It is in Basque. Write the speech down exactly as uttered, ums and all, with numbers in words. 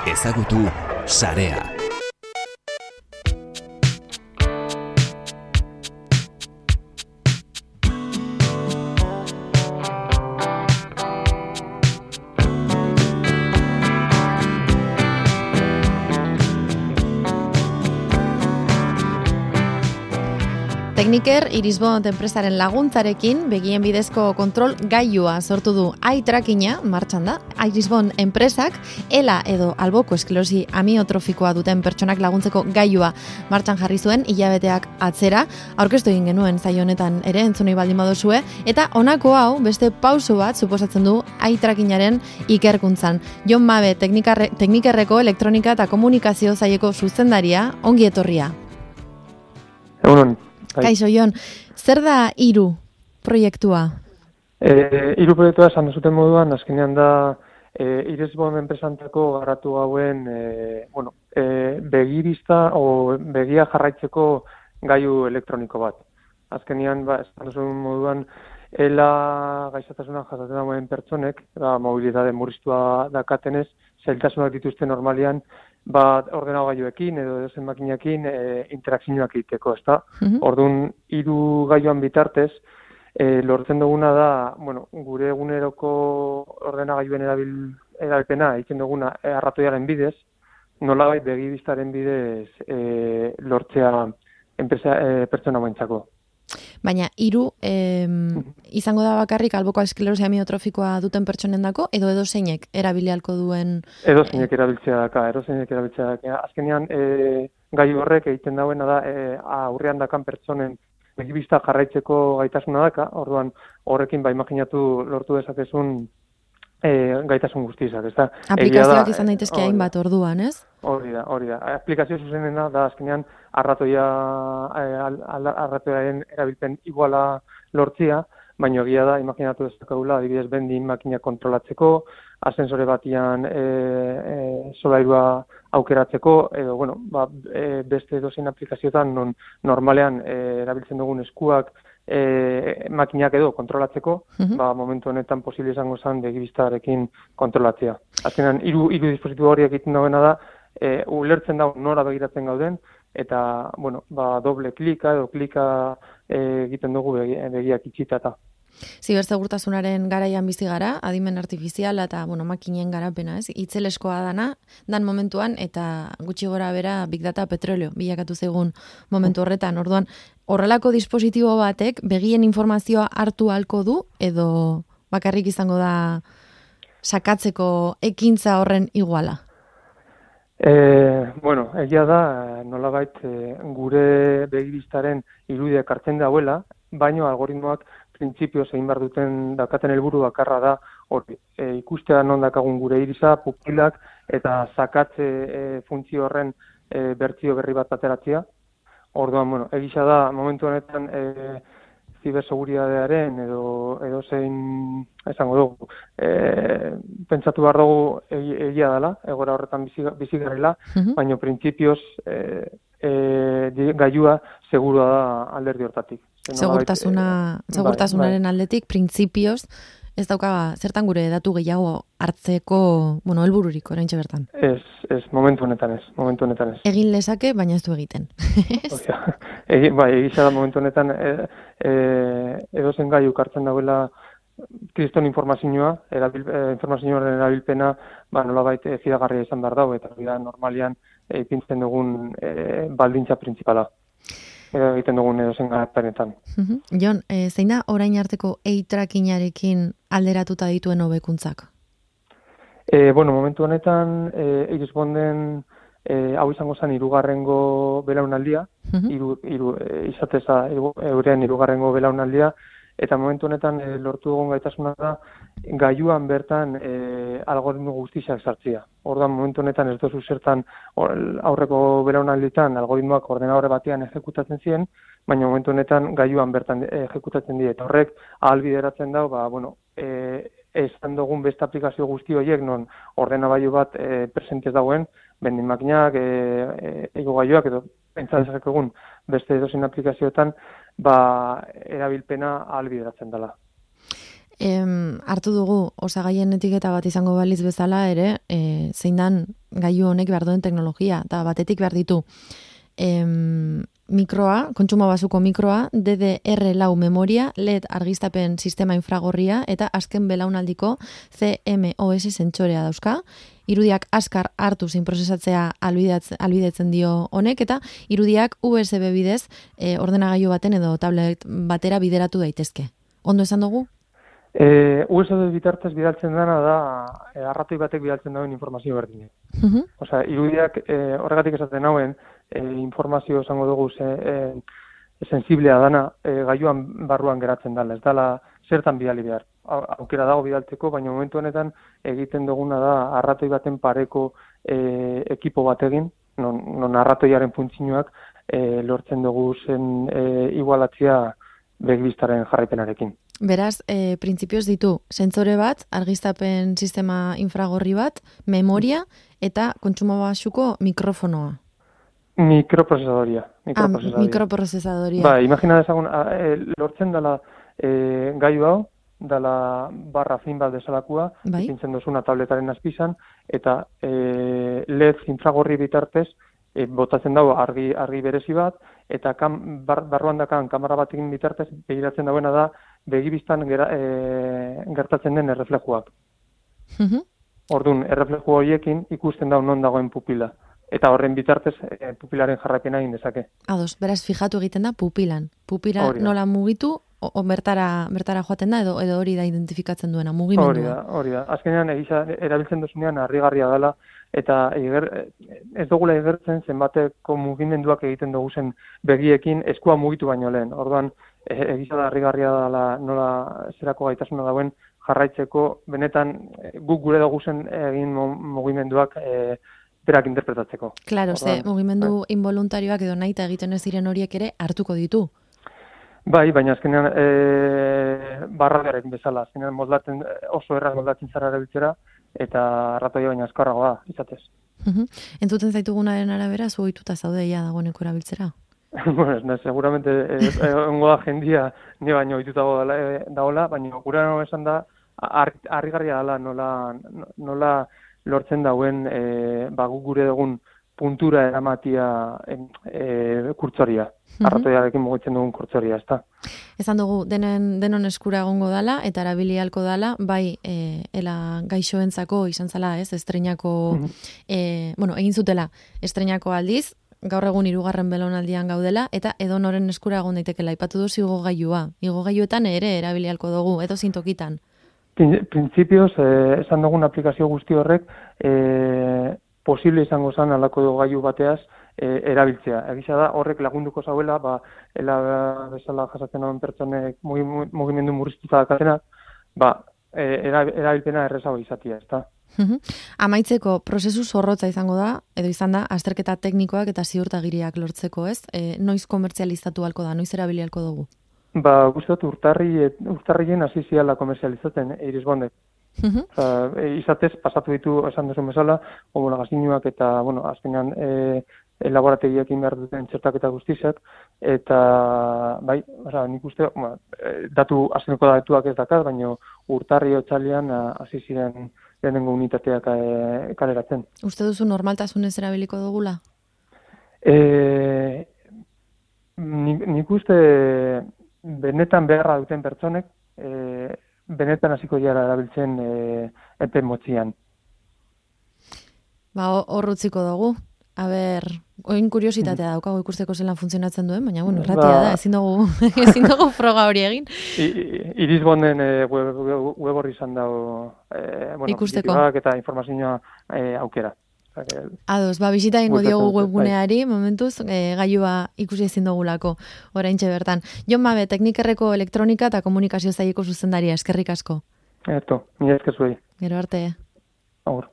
Ezagutu sarea. Tekniker Irisbond enpresaren laguntzarekin begien bidezko kontrol gailua sortu du eye-trackina martxan da. Irisbond enpresak ela edo alboko esklerosi amiotrofikoa duten pertsonak laguntzeko gailua martxan jarri zuen hilabeteak atzera. Aurkeztu egin genuen zaio honetan ere entzunei baldin baduzue eta honako hau beste pauso bat suposatzen du eye-trackinaren ikerkuntzan. Jon Mabe teknikerreko elektronika eta komunikazio saileko zuzendaria, ongi etorria. Egunon. Kaixo, Jon, zer da hiru proiektua? E, hiru proiektua esan zuten moduan, azkenean da e, Irisbond enpresantako garatu hauen e, bueno, e, begirista o begia jarraitzeko gailu elektroniko bat. Azkenean, ba, esan zuten moduan, ela gaixotasuna jasaten dagoen pertsonek, da, mobilitate murriztua dakatenez, zailtasunak dituzte normalian, bat ordenagailuekin edo edozen makinekin e, interakzioak egiteko, ezta? Mm-hmm. Orduan, hiru gailuan bitartez, e, lortzen duguna da, bueno, gure eguneroko ordenagailuen erabil, erabilpena egiten duguna arratoiaren bidez, nolabait begibistaren bidez e, lortzea enpresa e, pertsona moentzako. Baina, hiru eh, izango da bakarrik alboko esklerosi amiotrofikoa duten pertsonendako edo edo zeinek erabilialko duen? Edo zeinek erabiltzea daka, edo zeinek erabiltzea daka. Azkenean, e, gai horrek egiten dauena da, e, aurrean dakan pertsonen begibista jarraitzeko gaitasuna daka, orduan horrekin ba imaginatu lortu dezakezun e, gaitasun guztizak, ezta? Aplikazioak izan daitezke hainbat orduan, ez? Hori da, hori da. Aplikazio zuzenena da azkenean arratoia arratoiaren erabilpen iguala lortzia, baina egia da, imaginatu dezakagula, adibidez bendin makina kontrolatzeko, ascensore batian e, e, solairua aukeratzeko, edo, bueno, ba, e, beste dozein aplikazioetan non normalean e, erabiltzen dugun eskuak e, makinak edo kontrolatzeko, uh-huh. ba, momentu honetan posible izango zen begibistarekin kontrolatzea. Azkenean, hiru hiru dispositibo horiek egiten dagoena da, E, ulertzen da nora begiratzen gauden, eta, bueno, ba, doble klika edo klika e, egiten dugu begi, begiak itxitata. Zibersegurtasunaren garaian bizi gara, adimen artifiziala eta, bueno, makinen garapena, ez? Itzeleskoa dana, dan momentuan, eta gutxi gora bera big data petrolio bilakatu zegun momentu horretan. Orduan, horrelako dispositibo batek begien informazioa hartu halko du, edo bakarrik izango da sakatzeko ekintza horren iguala? E, bueno, egia da, nolabait e, gure begibistaren irudiak hartzen dauela, baino algoritmoak printzipio zein bar duten dakaten helburu bakarra da hori. E, ikustea non dakagun gure irisa, pupilak eta sakatze e, funtzio horren e, bertsio berri bat ateratzea. Orduan, bueno, egisa da momentu honetan e, ziberseguridadearen edo edo zein esango dugu e, pentsatu behar dugu egia dela, egora horretan bizi, bizi garela, uh-huh. baina printzipioz e, e, gailua segurua da alderdi hortatik. Segurtasuna, e, segurtasunaren bai, bai. Aldetik, printzipioz, ez dauka zertan gure datu gehiago hartzeko, bueno, helbururik oraintxe bertan. Ez, ez, momentu honetan ez, momentu honetan ez. Egin lezake, baina ez du egiten. Egi, bai, egisa da momentu honetan e, e, edozen gaiuk hartzen dauela kriston informazioa, erabil, e, informazioaren erabilpena, ba, nolabait e, fidagarria izan behar dago, eta da normalian e, ipintzen dugun e, baldintza printzipala. Egiten dugun edozen garapenetan. Uh-huh. Jon, e, zein da orain arteko eye-trackinarekin alderatuta dituen hobekuntzak? E, bueno, momentu honetan e, Irisbonden e, hau izango zen hirugarrengo belaunaldia, uh-huh. iru, iru, e, izateza euren hirugarrengo belaunaldia, eta momentu honetan e, lortu dugun gaitasuna da gailuan bertan e, algoritmo guztiak sartzea. Orduan momentu honetan ez dozu zertan aurreko belaunalditan algoritmoak ordenadore batean ejekutatzen ziren, baina momentu honetan gailuan bertan ejekutatzen dira. Eta horrek ahalbideratzen dau, ba, bueno, e, esan dugun beste aplikazio guzti horiek non ordenagailu bat e, presentez dagoen, bendin makinak, e, e, gailuak edo pentsatzak egun beste edozein aplikazioetan, ba, erabilpena ahalbideratzen dela. Em, hartu dugu osagaien etiketa bat izango baliz bezala ere, e, zein dan gailu honek behar duen teknologia, eta batetik behar ditu em, mikroa, kontsumo basuko mikroa, D D R lau memoria, L E D argiztapen sistema infragorria, eta azken belaunaldiko C M O S sentsorea dauzka. Irudiak azkar hartu zein prozesatzea albidetzen dio honek, eta irudiak U S B bidez e, ordenagailu baten edo tablet batera bideratu daitezke. Ondo esan dugu? E, U S B bitartez bidaltzen dena da, e, arratoi batek bidaltzen dauen informazio berdine. Uh-huh. Osea, irudiak e, horregatik esaten hauen, e, informazio esango dugu ze, e, sensiblea dana e, gailuan barruan geratzen dela, ez dela zertan bidali behar. Aukera dago bidaltzeko, baina momentu honetan egiten duguna da arratoi baten pareko e, ekipo bat egin, non, non arratoiaren funtzioak e, lortzen dugu zen e, igualatzea begibistaren jarraipenarekin. Beraz, e, printzipioz ditu, sentsore bat, argiztapen sistema infragorri bat, memoria eta kontsumo basuko mikrofonoa. Mikroprozesadoria. Mikroprozesadoria. Ah, mikroprozesadoria. Ba, imagina dezagun, e, lortzen dela e, gailu hau, dela barra fin bat desalakua, bai? Ipintzen duzuna tabletaren azpizan, eta e, L E D infragorri bitartez, e, botatzen dago argi, argi berezi bat, eta kam, bar, barruan dakan kamera batekin bitartez, begiratzen dagoena da, begibistan gera, e, gertatzen den erreflejuak. Uh-huh. Orduan, errefleju horiekin ikusten da non dagoen pupila. Eta horren bitartez e, pupilaren jarraipena egin dezake. Ados, beraz, fijatu egiten da pupilan. Pupila nola mugitu, o, o bertara, bertara joaten da, edo, edo hori da identifikatzen duena, mugimendua. Hori da, hori da. Azkenean, egisa, erabiltzen duzunean harrigarria dela, eta eger, ez dugula egertzen zenbateko mugimenduak egiten dugu zen begiekin eskua mugitu baino lehen. Orduan, egisa da harrigarria dela nola zerako gaitasuna dauen jarraitzeko, benetan guk gure dugu zen egin mugimenduak e, berak interpretatzeko. Claro, ze mugimendu bai. Involuntarioak edo nahi eta egiten ez diren horiek ere hartuko ditu. Bai, baina azkenean e, barragarek bezala, azkenean moldatzen, oso erraz moldatzen zara erabiltzera, eta arratoia baina azkarragoa, izatez. Uh-huh. Entzuten zaitugunaren arabera, zu ohituta zaude ja dagoeneko erabiltzera? Bueno, ez, seguramente egongo da jendia ni baino ohitutago dagoela, baina gura no esan da harrigarria dela nola nola lortzen dauen e, ba gure dugun puntura eramatia e, kurtzoria. Mm-hmm. Arratoiarekin mugitzen dugun kurtzoria, ezta. Esan dugu denen denon eskura egongo dala eta erabili ahalko dala, bai e, ela gaixoentzako izan zala, ez, estreinako mm-hmm. e, bueno, egin zutela estreinako aldiz, gaur egun hirugarren belaunaldian gaudela eta edonoren eskura egon daitekeela. Aipatu duzu igogailua. Igogailuetan ere erabili ahalko dugu, edo zintokitan. Printzipioz, eh, esan dugun aplikazio guzti horrek eh, posible izango zen alako gailu bateaz eh, erabiltzea. Egisa da, horrek lagunduko zauela, ba, ela bezala jasatzen hauen pertsonek mugimendu murriztuta dakatenak, ba, eh, erabilpena errezago izatia, ezta? Uhum. Amaitzeko, prozesu zorrotza izango da, edo izan da, azterketa teknikoak eta ziurtagiriak lortzeko, ez? E, noiz komertzializatu halko da, noiz erabili halko dugu? Ba, guztiot, urtarri, urtarrien hasi ziala komertzializatzen irisbondek. Uh-huh. Oza, izatez, pasatu ditu esan duzun bezala, homologazioak eta, bueno, azkenean e, laborategiekin behar duten txertaketa guztizak, eta, bai, oza, nik uste, ba, datu, azkeneko datuak ez dakar, baina urtarri otsailean hasi ziren lehenengo unitateak e, kaleratzen. Uste duzu normaltasunez erabiliko dugula? E, nik, nik uste benetan beharra duten pertsonek, e, benetan hasiko dira erabiltzen e, epe motzian. Ba, hor utziko dugu. A ber, oin kuriositatea daukago ikusteko zelan funtzionatzen duen, baina, bueno, erratia ba, da, ezin dugu, ezin dugu froga hori egin. Irisbonden e, web, web horri izan dago e, bueno, ikusteko. Eta informazioa e, aukera. Ados, ba, bisita ingo diogu webguneari, momentuz, e, gailua ikusi ezin dugulako, oraintxe bertan. Jon Mabe, Teknikerreko elektronika eta komunikazio zaileko zuzendaria, eskerrik asko. Eto, nire eskerzuei. Gero arte. Agur.